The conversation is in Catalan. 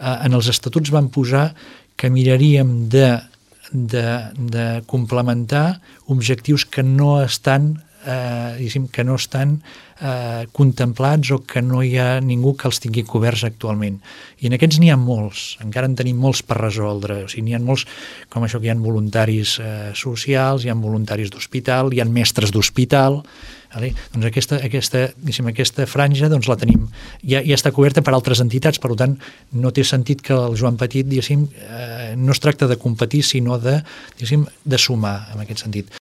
en els estatuts van posar que miraríem de complementar objectius que no estan contemplats o que no hi ha ningú que els tingui coberts actualment. I en aquests n'hi ha molts, encara en tenim molts per resoldre. O sigui, n'hi ha molts, com això que hi ha voluntaris socials, hi ha voluntaris d'hospital, hi ha mestres d'hospital. Doncs aquesta franja la tenim. Ja està coberta per altres entitats, per tant, no té sentit que el Joan Petit, no es tracta de competir, sinó de sumar, en aquest sentit.